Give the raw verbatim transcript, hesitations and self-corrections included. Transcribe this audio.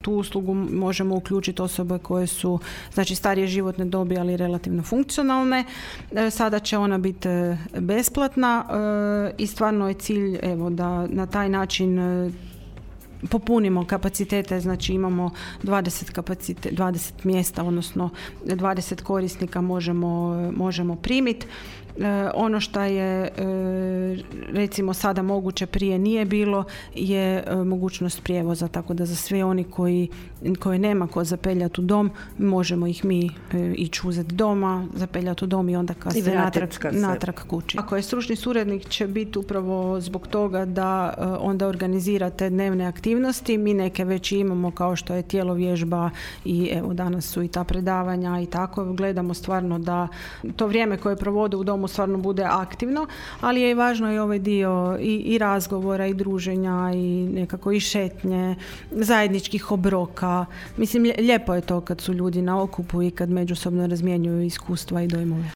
Tu uslugu možemo uključiti osobe koje su, znači, starije životne dobi, ali relativno funkcionalne. Sada će ona biti besplatna i stvarno je cilj, evo, da na taj način popunimo kapacitete, znači imamo dvadeset, kapacite, dvadeset mjesta, odnosno dvadeset korisnika možemo, možemo primiti. E, ono što je e, recimo sada moguće, prije nije bilo, je e, mogućnost prijevoza, tako da za sve oni koji, koji nema ko zapeljati u dom, možemo ih mi e, ići uzeti doma, zapeljati u dom i onda kasnije natrag, natrag kući. Ako je stručni suradnik, će biti upravo zbog toga da e, onda organizira te dnevne aktivnosti. Mi neke već imamo, kao što je tjelovježba i evo danas su i ta predavanja i tako. Gledamo stvarno da to vrijeme koje provode u domu stvarno bude aktivno, ali je i važno i ovaj dio i, i razgovora i druženja i nekako i šetnje, zajedničkih obroka. Mislim, lijepo je to kad su ljudi na okupu i kad međusobno razmjenjuju iskustva i dojmove.